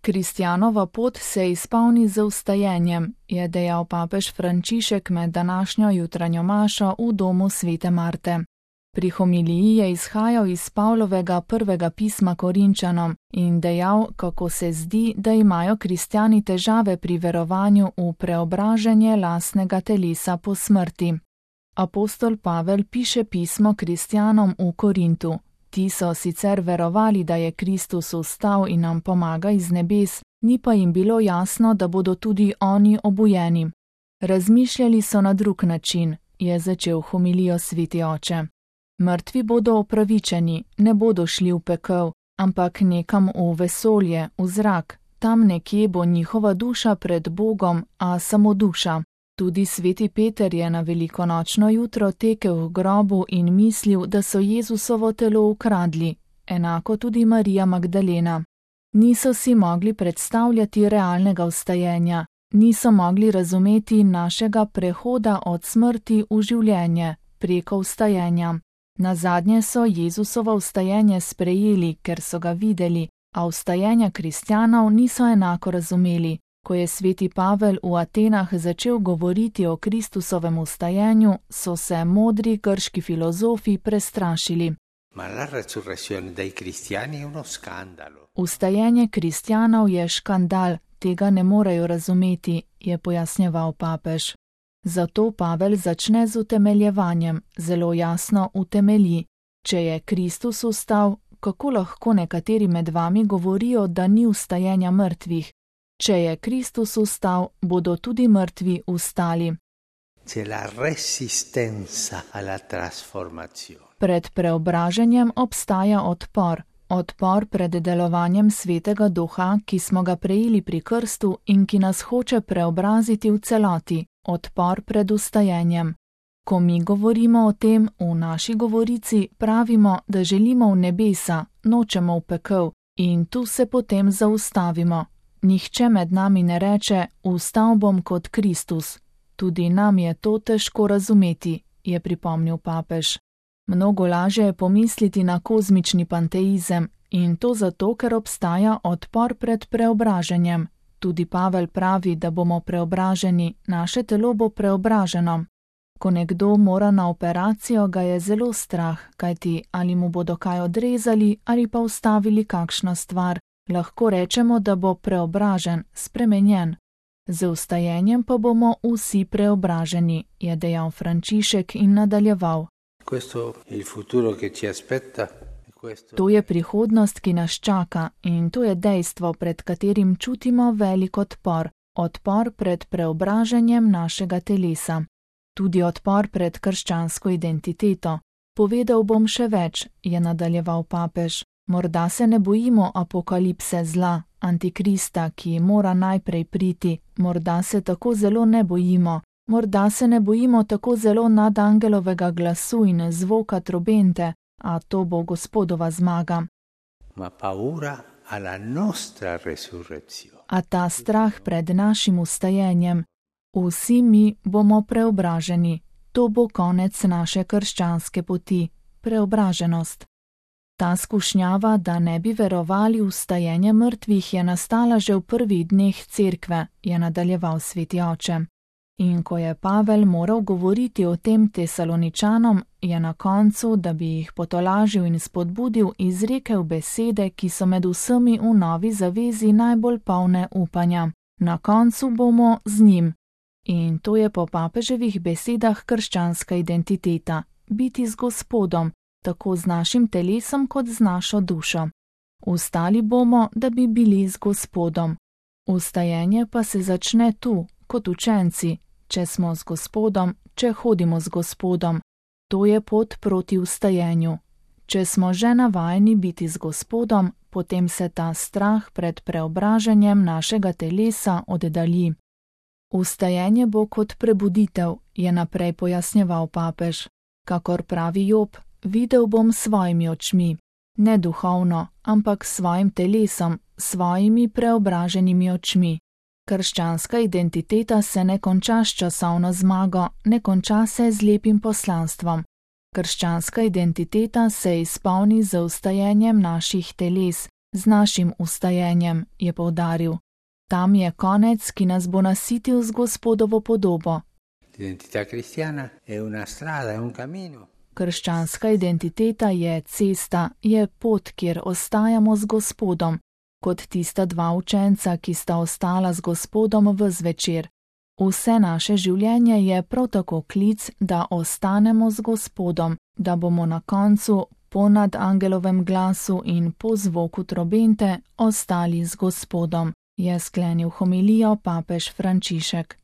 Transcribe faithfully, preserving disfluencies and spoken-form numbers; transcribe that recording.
Kristjanova pot se izpolni z vstajenjem, je dejal papež Frančišek med današnjo jutranjo mašo v domu svete Marte. Pri homiliji je izhajal iz Pavlovega prvega pisma Korinčanom in dejal, kako se zdi, da imajo kristjani težave pri verovanju v preobraženje lastnega telesa po smrti. Apostol Pavel piše pismo kristjanom v Korintu. Ti so sicer verovali, da je Kristus vstal in nam pomaga iz nebes, ni pa jim bilo jasno, da bodo tudi oni obujeni. Razmišljali so na drug način, je začel homilijo sveti oče. Mrtvi bodo opravičeni, ne bodo šli v pekel, ampak nekam v vesolje, v zrak, tam nekje bo njihova duša pred Bogom, a samo duša. Tudi sveti Peter je na velikonočno jutro tekel v grobu in mislil, da so Jezusovo telo ukradli, enako tudi Marija Magdalena. Niso si mogli predstavljati realnega vstajenja, niso mogli razumeti našega prehoda od smrti v življenje, preko vstajenja. Nazadnje so Jezusovo vstajenje sprejeli, ker so ga videli, a vstajenja kristjanov niso enako razumeli. Ko je sveti Pavel v Atenah začel govoriti o Kristusovem vstajenju, so se modri grški filozofi prestrašili. Ma la resurrezione dei cristiani è uno scandalo. Vstajenje kristjanov je škandal, tega ne morejo razumeti, je pojasnjeval papež. Zato Pavel začne z utemeljevanjem, zelo jasno utemelji. Če je Kristus vstal, kako lahko nekateri med vami govorijo, da ni vstajenja mrtvih? Če je Kristus vstal, bodo tudi mrtvi vstali. C'è la resistenza alla trasformazione. Pred preobraženjem obstaja odpor. Odpor pred delovanjem svetega duha, ki smo ga prejeli pri krstu in ki nas hoče preobraziti v celoti. Odpor pred vstajenjem. Ko mi govorimo o tem, v naši govorici pravimo, da želimo v nebesa, nočemo v pekel in tu se potem zaustavimo. Nihče med nami ne reče, vstal bom kot Kristus. Tudi nam je to težko razumeti, je pripomnil papež. Mnogo lažje je pomisliti na kozmični panteizem in to zato, ker obstaja odpor pred preobraženjem. Tudi Pavel pravi, da bomo preobraženi, naše telo bo preobraženo. Ko nekdo mora na operacijo, ga je zelo strah, kajti ali mu bodo kaj odrezali ali pa vstavili kakšno stvar. Lahko rečemo, da bo preobražen, spremenjen. Z vstajenjem pa bomo vsi preobraženi, je dejal Frančišek in nadaljeval. To je prihodnost, ki nas čaka in to je dejstvo, pred katerim čutimo velik odpor. Odpor pred preobraženjem našega telesa. Tudi odpor pred krščansko identiteto. Povedal bom še več, je nadaljeval papež. Morda se ne bojimo apokalipse zla, antikrista, ki mora najprej priti, morda se tako zelo ne bojimo, morda se ne bojimo tako zelo nadangelovega glasu in zvoka trobente, a to bo Gospodova zmaga. Ma paura alla nostra resurrezione. A ta strah pred našim vstajenjem. Vsi mi bomo preobraženi, to bo konec naše krščanske poti, preobraženost. Ta skušnjava, da ne bi verovali v vstajenje mrtvih, je nastala že v prvih dneh cerkve, je nadaljeval sveti oče. In ko je Pavel moral govoriti o tem Tesaloničanom, je na koncu, da bi jih potolažil in spodbudil, izrekel besede, ki so med vsemi v novi zavezi najbolj polne upanja. Na koncu bomo z njim. In to je po papeževih besedah krščanska identiteta, biti z Gospodom, tako z našim telesom kot z našo dušo. Vstali bomo, da bi bili z Gospodom. Vstajenje pa se začne tu, kot učenci, če smo z Gospodom, če hodimo z Gospodom. To je pot proti vstajenju. Če smo že navajeni biti z Gospodom, potem se ta strah pred preobraženjem našega telesa oddalji. Vstajenje bo kot prebuditev, je naprej pojasnjeval papež. Kakor pravi Job, videl bom s svojimi očmi, ne duhovno, ampak s svojim telesom, svojimi preobraženimi očmi. Krščanska identiteta se ne konča s časovno zmago, ne konča se z lepim poslanstvom. Krščanska identiteta se izpolni z vstajenjem naših teles, z našim vstajenjem, je poudaril. Tam je konec, ki nas bo nasitil z Gospodovo podobo. L'identità cristiana è una strada, è un cammino. Krščanska identiteta je cesta, je pot, kjer ostajamo z Gospodom, kot tista dva učenca, ki sta ostala z Gospodom ves večer. Vse naše življenje je prav tako klic, da ostanemo z Gospodom, da bomo na koncu po nadangelovem glasu in po zvoku trobente ostali z Gospodom, je sklenil homilijo papež Frančišek.